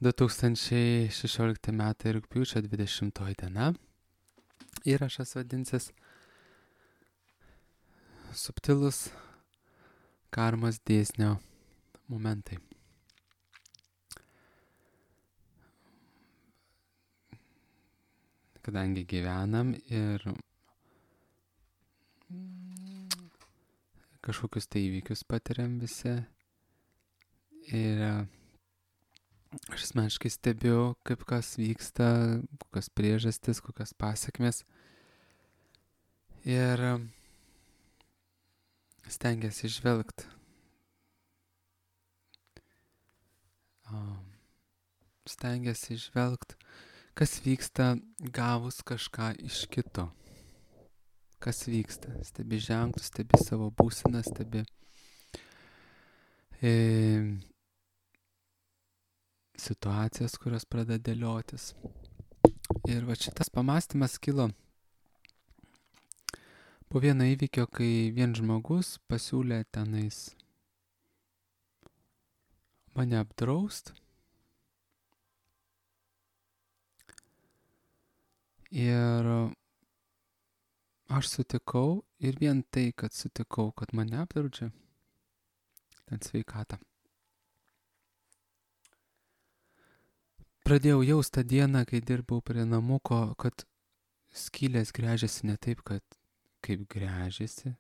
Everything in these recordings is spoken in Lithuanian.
2016 metai rugpjūčio 20 diena. Įrašas vadinsis Subtilus karmos dėsnio momentai. Kadangi gyvenam ir kažkokius tai įvykius patiriam visi ir aš asmeniškai stebiu, kaip kas vyksta, kokios priežastis, kokios pasekmės ir stengiasi žvelgti. Stengiasi žvelgti, kas vyksta gavus kažką iš kito. Kas vyksta? Stebi ženklus, stebi savo būseną, stebi situacijas, kurios pradeda dėliotis. Ir va šitas pamąstymas kilo po vieno įvykio, kai vien žmogus pasiūlė tenais mane apdraust. Ir aš sutikau ir vien tai, kad sutikau, kad mane apdraudžia, ten sveikatą. Pradėjau jaust tą dieną, kai dirbau prie namuko, kad skylės gręžiasi ne taip, kaip gręžiasi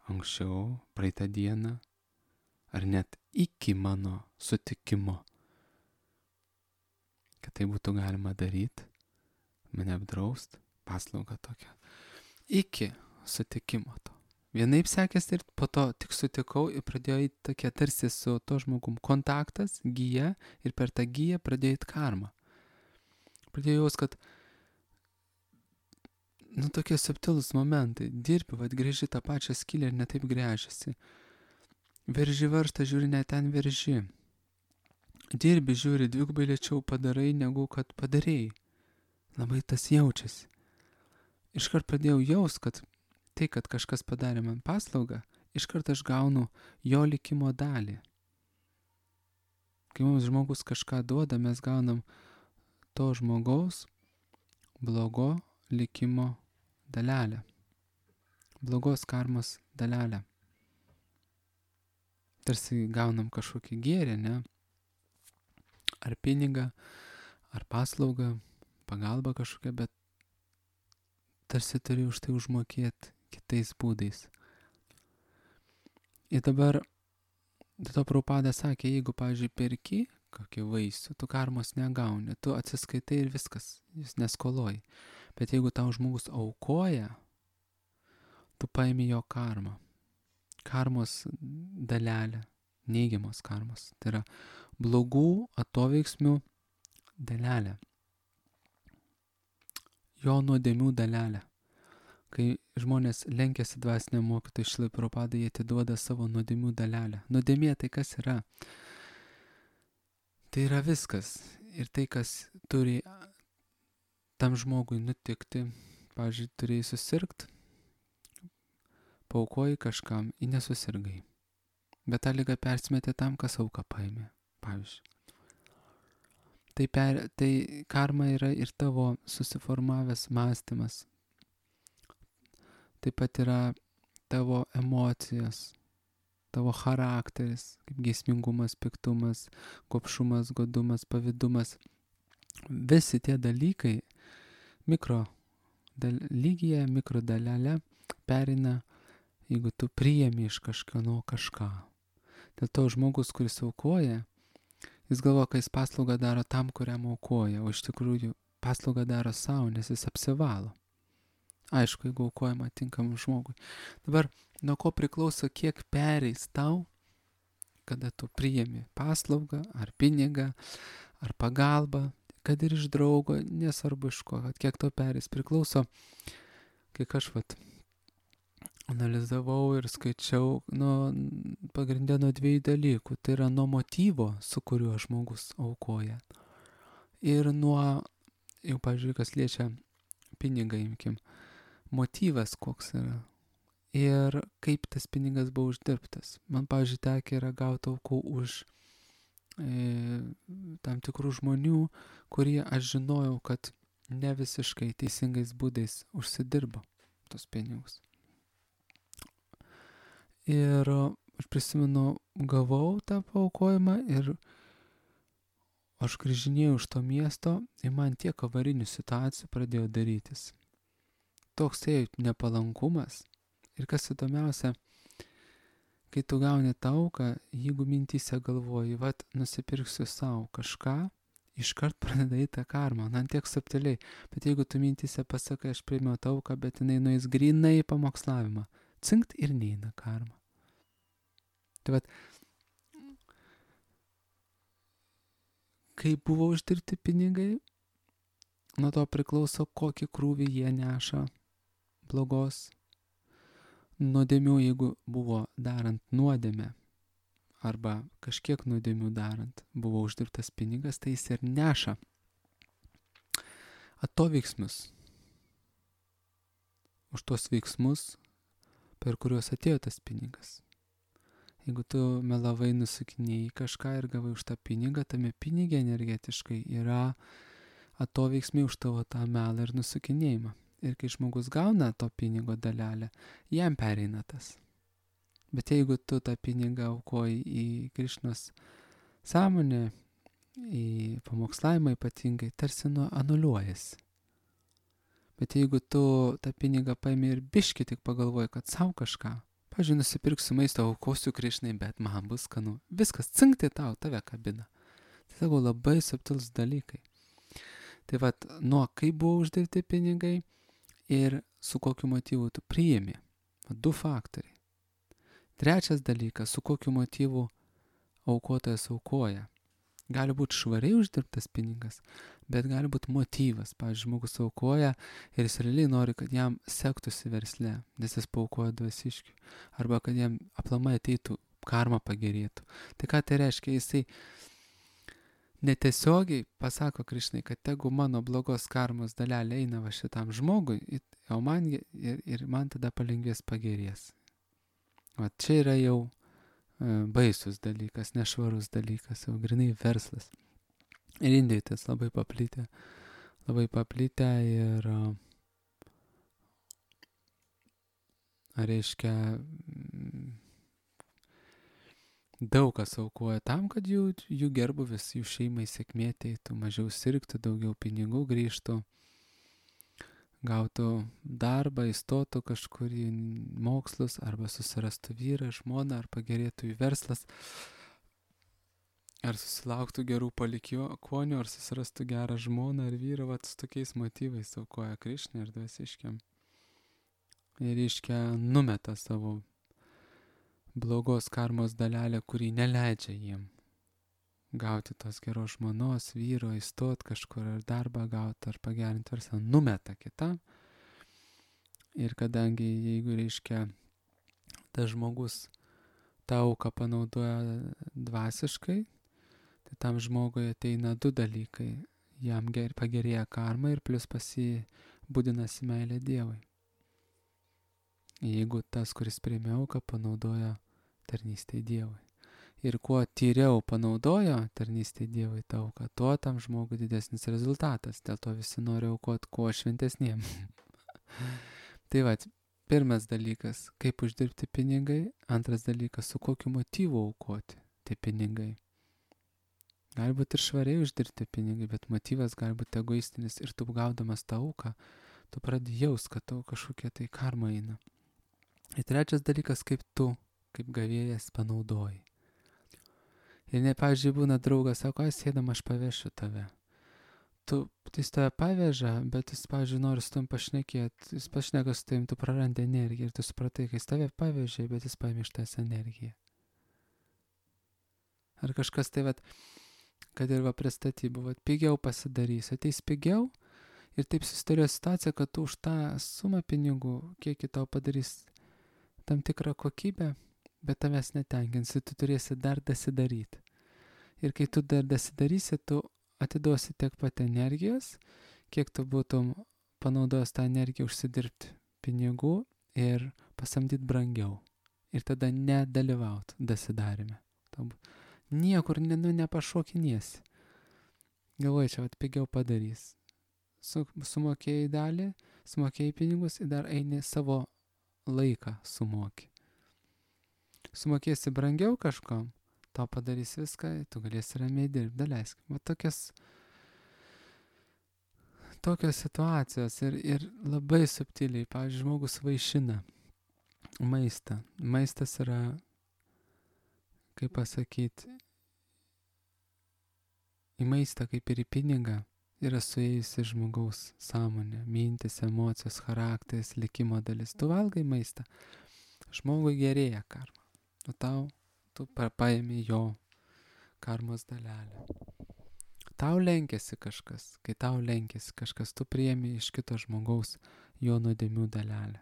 anksčiau, praeitą dieną, ar net iki mano sutikimo, kad tai būtų galima daryti, mane apdraust, paslaugą tokią. Iki sutikimo to. Vienaip sekėsi ir po to tik sutikau ir pradėjo eiti tokia tarsi su to žmogum kontaktas, gyja, ir per tą gyją pradėjo eiti karma. Pradėjau jaust, kad tokie subtilūs momentai. Dirbi, grįži tą pačią skylę ir netaip gręžiasi. Verži varžtą, žiūri, ne ten verži. Dirbi, žiūri, dvigubai lėčiau padarai, negu kad padarėjai. Labai tas jaučiasi. Iškart pradėjau jaust, kad tai, kad kažkas padarė man paslaugą, iškart aš gaunu jo likimo dalį. Kai mums žmogus kažką duoda, mes gaunam to žmogaus blogo likimo dalelę. Blogos karmos dalelę. Tarsi gaunam kažkokį gėrį, ne? Ar pinigą, ar paslaugą, pagalbą kažkokią, bet tarsi turi už tai užmokėti kitais būdais. Ir dabar, dėl to Prabhupada sakė, jeigu, pavyzdžiui, perki kokį vaisių, tu karmos negauni, tu atsiskaitai ir viskas, jis neskoloji. Bet jeigu tau žmogus aukoja, tu paimi jo karmą. Karmos dalelę, neigiamos karmos. Tai yra blogų atoveiksmių dalelė. Jo nuodėmių dalelė. Kai žmonės lenkiasi dvasiniam mokytojui Šrilai Prabhupadai, jie atiduoda savo nuodėmių dalelę. Nuodėmė tai kas yra? Tai yra viskas. Ir tai, kas turi tam žmogui nutikti. Pavyzdžiui, turėjai susirgt, paaukoji kažkam, į nesusirgai. Bet tą ligą persimetė tam, kas auką paėmė. Pavyzdžiui. Tai karma yra ir tavo susiformavęs mąstymas. Taip pat yra tavo emocijos, tavo charakteris, kaip geismingumas, piktumas, gobšumas, godumas, pavydumas. Visi tie dalykai lygyje, mikrodalelė perina, jeigu tu priėmi iš kažkieno kažką. Dėl to žmogus, kuris aukoja, jis galvo, kad jis paslaugą daro tam, kuriam aukoja, o iš tikrųjų paslaugą daro savo, nes jis apsivalo. Aišku, jeigu aukojama tinkamam žmogui. Dabar nuo ko priklauso, kiek pereis tau, kada tu priėmi paslaugą, ar pinigą, ar pagalbą, kad ir iš draugo, nesvarbu iš ko, kad kiek to pereis. Priklauso, kiek aš analizavau ir skaičiau pagrindę nuo dviejų dalykų. Tai yra nuo motyvo, su kuriuo žmogus aukoja. Ir nuo, jau pavyzdžiui, kas liečia pinigą, imkim, motyvas koks yra. Ir kaip tas pinigas buvo uždirbtas. Man, pavyzdžiui, tekę yra gauti aukų už tam tikrų žmonių, kurie aš žinojau, kad ne visiškai teisingais būdais užsidirbo tos pinigus. Ir aš prisimenu, gavau tą paaukojimą ir aš grįžinėjau iš to miesto ir man tiek avarinių situacijų pradėjo darytis. Toks nepalankumas. Ir kas įdomiausia, kai tu gauni tą auką, jeigu mintyse galvoji, vat nusipirksiu savo kažką, iškart pradeda tą karmą, tiek subtiliai. Bet jeigu tu mintyse pasakai, aš priėmiau tą auką, bet jinai nueis grynai į pamokslavimą, cinkt ir neina karma. Tai vat, kai buvo uždirbti pinigai, nuo to priklauso, kokį krūvį jie neša blogos nuodėmių, jeigu buvo darant nuodėmę arba kažkiek nuodėmių darant buvo uždirbtas pinigas, tai jis ir neša atoveiksmus už tuos veiksmus, per kuriuos atėjo tas pinigas. Jeigu tu melavai, nusukinėjai kažką ir gavai už tą pinigą, tame pinigė energetiškai yra atoveiksmiai už tavo tą melą ir nusukinėjimą. Ir kai žmogus gauna to pinigo dalelę, jam pereina tas. Bet jeigu tu tą pinigą aukoji į Krišnos sąmonę, į pamokslavimą ypatingai, tarsi anuliuojasi. Bet jeigu tu tą pinigą paimi ir biški tik pagalvoji, kad savo kažką, pavyzdžiui, nusipirksiu maisto, aukosiu Krišnai, bet man bus skanu, viskas cinkti tau, tave kabina. Tai sako, labai subtilus dalykai. Tai vat, nuo kaip buvo uždirbti pinigai ir su kokiu motyvu tu priimi. Du faktoriai. Trečias dalykas, su kokiu motyvu aukotojas aukoja. Gali būti švariai uždirbtas pinigas, bet gali būti motyvas. Pavyzdžiui, žmogus aukoja ir jis realiai nori, kad jam sektųsi versle, nes jis paaukoja dvasiškiui. Arba kad jam aplamai ateitų, karma pagerėtų. Tai ką tai reiškia? Jisai netiesiogiai pasako Krišnai, kad tegu mano blogos karmos dalelė eina va šitam žmogui, o man tada palengvės pagerės. O čia yra jau baisus dalykas, nešvarus dalykas, jau grinai verslas. Ir Indijoje tas labai paplitę ir reiškia daug kas aukoja tam, kad jų gerbuvis, jų šeimai sėkmė ateitų, mažiau sirgtų, daugiau pinigų grįžtų, gautų darbą, įstotų kažkur į mokslus, arba susirastų vyrą, žmoną, ar pagerėtų į verslas, ar susilauktų gerų palikuonių, ar susirastų gerą žmoną ar vyrą, vat su tokiais motyvais aukoja Krišnai ir dvasiškiam. Ir reiškia numeta savo blogos karmos dalelę, kurį neleidžia jiem gauti tos geros žmonos, vyro, įstot kažkur ar darbą gauti, ar pagerinti verslą, numeta kitam. Ir kadangi jeigu reiškia tas žmogus tą auką panaudoja dvasiškai, tai tam žmogui ateina du dalykai. Jam pagerėja karma ir plus pasibudinasi meilė Dievui. Jeigu tas, kuris priėmė auką, panaudoja tarnystei Dievui. Ir kuo tyriau panaudojo tarnystei Dievui tą auką, tuo tam žmogui didesnis rezultatas. Dėl to visi nori aukoti kuo šventesniem. Tai va, pirmas dalykas, kaip uždirbti pinigai. Antras dalykas, su kokiu motyvu aukoti tie pinigai. Gali būti ir švariai uždirbti pinigai, bet motyvas gali būti egoistinis. Ir tu gaudamas tą auką, tu pradedi jaust, kad tau kažkokia tai karma eina. Ir trečias dalykas, kaip tu, kaip gavėjas, panaudoji. Ir pavyzdžiui, būna draugas, sako, sėdam, aš pavešiu tave. Jis tave paveža, bet jis, pavyzdžiui, nori su tam pašnekėti, jis pašneka su tavim, tu prarandi energiją ir tu supratai, kai jis tave pavežė, bet jis paėmė iš tavęs energiją. Ar kažkas tai, kad ir prie statybų, pigiau pasidarys, ateis pigiau ir taip susidarėjo situacija, kad tu už tą sumą pinigų, kiek tau padarys tam tikrą kokybę, bet tavęs netenkinsi, tu turėsi dar dasidaryti. Ir kai tu dar dasidarysi, tu atiduosi tiek pat energijos, kiek tu būtum panaudojęs tą energiją užsidirbti pinigų ir pasamdyti brangiau. Ir tada nedalyvauti dasidarime. Niekur nepašokinėsi. Galvoju, čia pigiau padarys. Sumokėjai dalį, sumokėjai pinigus ir dar eini savo laiką sumokį. Sumokėsi brangiau kažkam, tau padarys viską, tu galėsi ramiai dirbti, daleisk. Va tokios situacijos ir labai subtiliai, pavyzdžiui, žmogus vaišina maistą. Maistas yra, kaip pasakyti, į maistą kaip ir į pinigą yra suėjusi žmogaus sąmonė, mintis, emocijos, charakteris, likimo dalis. Tu valgai maistą, žmogui gerėja karma. Tu paimi jo karmos dalelę. Tau lenkėsi kažkas, kai tau lenkėsi kažkas, tu priemi iš kito žmogaus jo nuodėmių dalelę.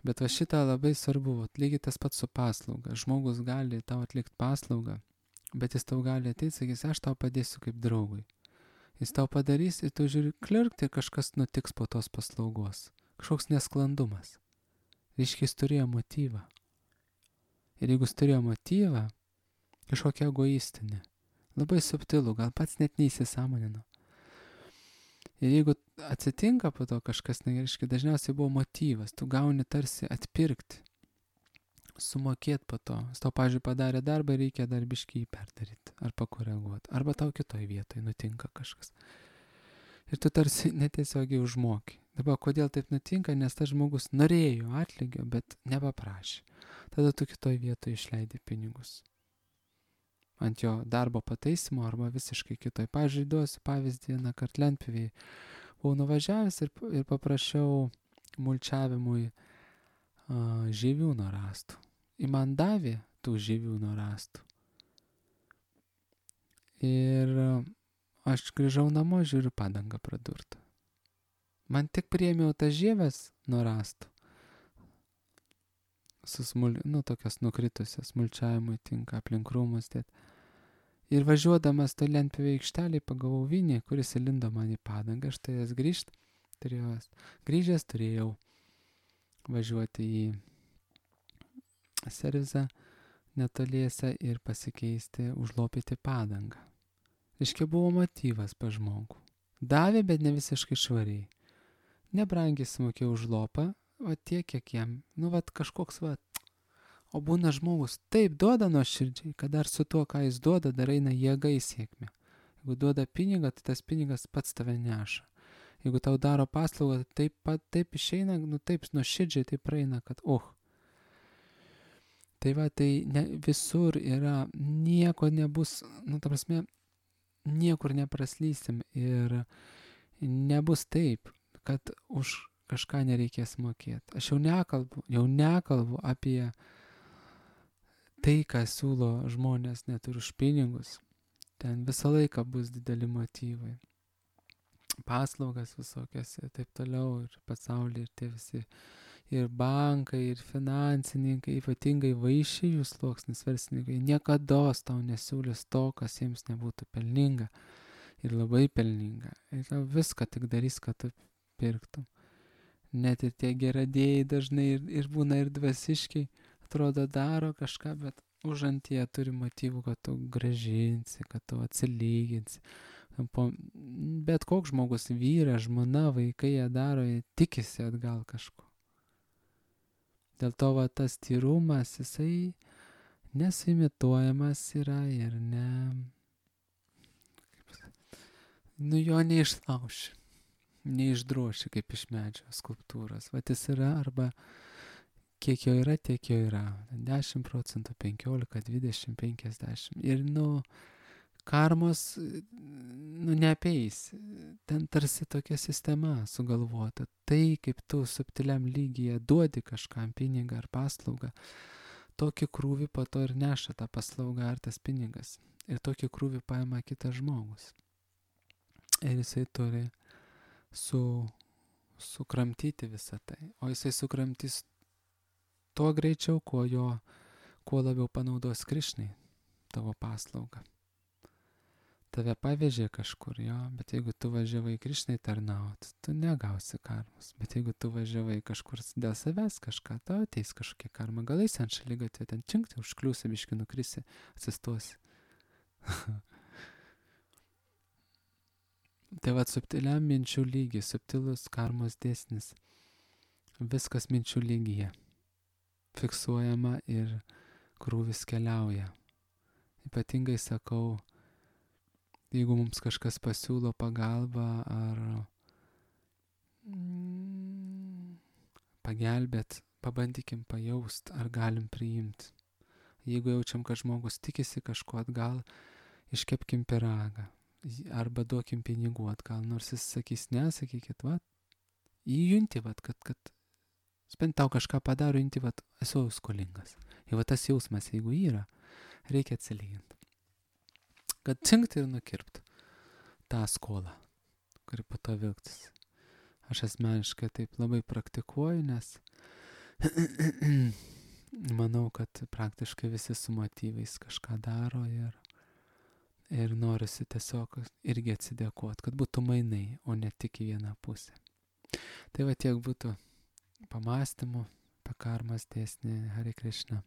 Bet va šitą labai svarbu, lygiai tas pats su paslauga. Žmogus gali tau atlikti paslaugą, bet jis tau gali ateiti, sakys, aš tau padėsiu kaip draugui. Jis tau padarys ir tu žiūri, klirkt ir kažkas nutiks po tos paslaugos. Kažkoks nesklandumas. Reiškia, jis turėjo motyvą. Ir jeigu jis turėjo motyvą, kažkokią egoistinį, labai subtilų, gal pats net neįsisąmonino. Ir jeigu atsitinka po to kažkas nereiškia, dažniausiai buvo motyvas, tu gauni tarsi atpirkti, sumokėti po to. Jis tau, pavyzdžiui, padarė darbą, reikia dar biškį jį perdaryti ar pakoreguoti. Arba tau kitoj vietoj nutinka kažkas. Ir tu tarsi netiesiogiai užmoki. Dabar kodėl taip nutinka, nes tas žmogus norėjo atlygio, bet nepaprašė. Tada tu kitoj vietoj išleidi pinigus. Ant jo darbo pataisimo arba visiškai kitoj. Pavyzdžiui, duosiu pavyzdį, vieną kartą lentpjūvėj. Buvau nuvažiavęs ir paprašiau mulčiavimui žieviūno rąstų. Ir man davė tų žieviūno rąstų. Ir aš grįžau namo, žiūriu, padanga pradurta. Man tik priėmiau tas žievės nuo rąstų. Tokios nukritusios, mulčiavimui tinka, aplink rūmus dėt. Ir važiuodamas to lentpjūvėj aikštelėj pagavau vinį, kuris įlindo man į padangą. Aš turėjęs grįžęs turėjau važiuoti į servizą netoliese ir pasikeisti, užlopyti padangą. Reiškia, buvo motyvas pas žmogų. Davė, bet ne visiškai švariai. Nebrangiai sumokėjau už lopą, va tiek, kiek jam, kažkoks, o būna žmogus taip duoda nuoširdžiai, kad dar su tuo, ką jis duoda, dar eina jėga į sėkmę. Jeigu duoda pinigą, tai tas pinigas pats tave neša. Jeigu tau daro paslaugą, taip išeina, taip nuoširdžiai taip praeina, kad Tai visur yra, nieko nebus, niekur nepraslysim ir nebus taip, kad už kažką nereikės mokėti. Aš jau nekalbu apie tai, ką siūlo žmonės net ir už pinigus. Ten visą laiką bus dideli motyvai. Paslaugas visokias ir taip toliau, ir pasaulyje, ir tie visi, ir bankai, ir finansininkai, ypatingai vaišijų sluoksnis verslininkai, niekados tau nesiūlys to, kas jiems nebūtų pelninga ir labai pelninga. Ir tau viską tik darys, kad tu pirktum. Net ir tie geradėjai dažnai ir būna ir dvasiškiai, atrodo daro kažką, bet užantyje turi motyvų, kad tu gražinsi, kad tu atsilyginsi. Bet koks žmogus, vyras, žmona, vaikai jie daro, jie tikisi atgal kažko. Dėl to tas tyrumas, jisai nesuimituojamas yra ir jo neišlauši, neišdroši kaip iš medžio skulptūros. Jis yra arba kiek jo yra, tiek jo yra. 10 procentų, 15, 20, 50. Ir karmos neapeis. Ten tarsi tokia sistema sugalvota. Tai, kaip tu subtiliam lygyje duodi kažkam pinigą ar paslaugą, tokį krūvį po to ir neša tą paslaugą ar tas pinigas. Ir tokį krūvį paima kitas žmogus. Ir jisai turi sukramtyti visą tai. O jisai sukramtys tuo greičiau, kuo labiau panaudos Krišnai tavo paslaugą. tave pavežė kažkur, jo, bet jeigu tu važiavai Krišnai tarnaut, tu negausi karmos. Bet jeigu tu važiavai kažkur dėl savęs kažką, tau ateis kažkokia karma. Gal eisi ant šaligatvio, ten činkti, užkliūsi, biški nukrisi, atsistosi. Tai vat subtiliam minčių lygiai, subtilus karmos dėsnis. Viskas minčių lygyje. Fiksuojama ir krūvis keliauja. Ypatingai sakau, jeigu mums kažkas pasiūlo pagalbą ar pagelbėt, pabandykim pajaust, ar galim priimti. Jeigu jaučiam, kad žmogus tikisi kažko atgal, iškepkim pyragą. Arba duokim pinigų atgal, nors jis sakys ne, sakykit, vat, įjunti, vat, kad spent tau kažką padaro, įjunti, vat, esu skolingas. Ir vat tas jausmas, jeigu yra, reikia atsilyginti. Kad cinkt ir nukirpt tą skolą, kuri po to vilktis. Aš asmeniškai taip labai praktikuoju, nes manau, kad praktiškai visi su motyvais kažką daro ir norisi tiesiog irgi atsidėkoti, kad būtų mainai, o ne tik į vieną pusę. Tai va tiek būtų pamastymų apie karmos dėsnį. Hare Krishna.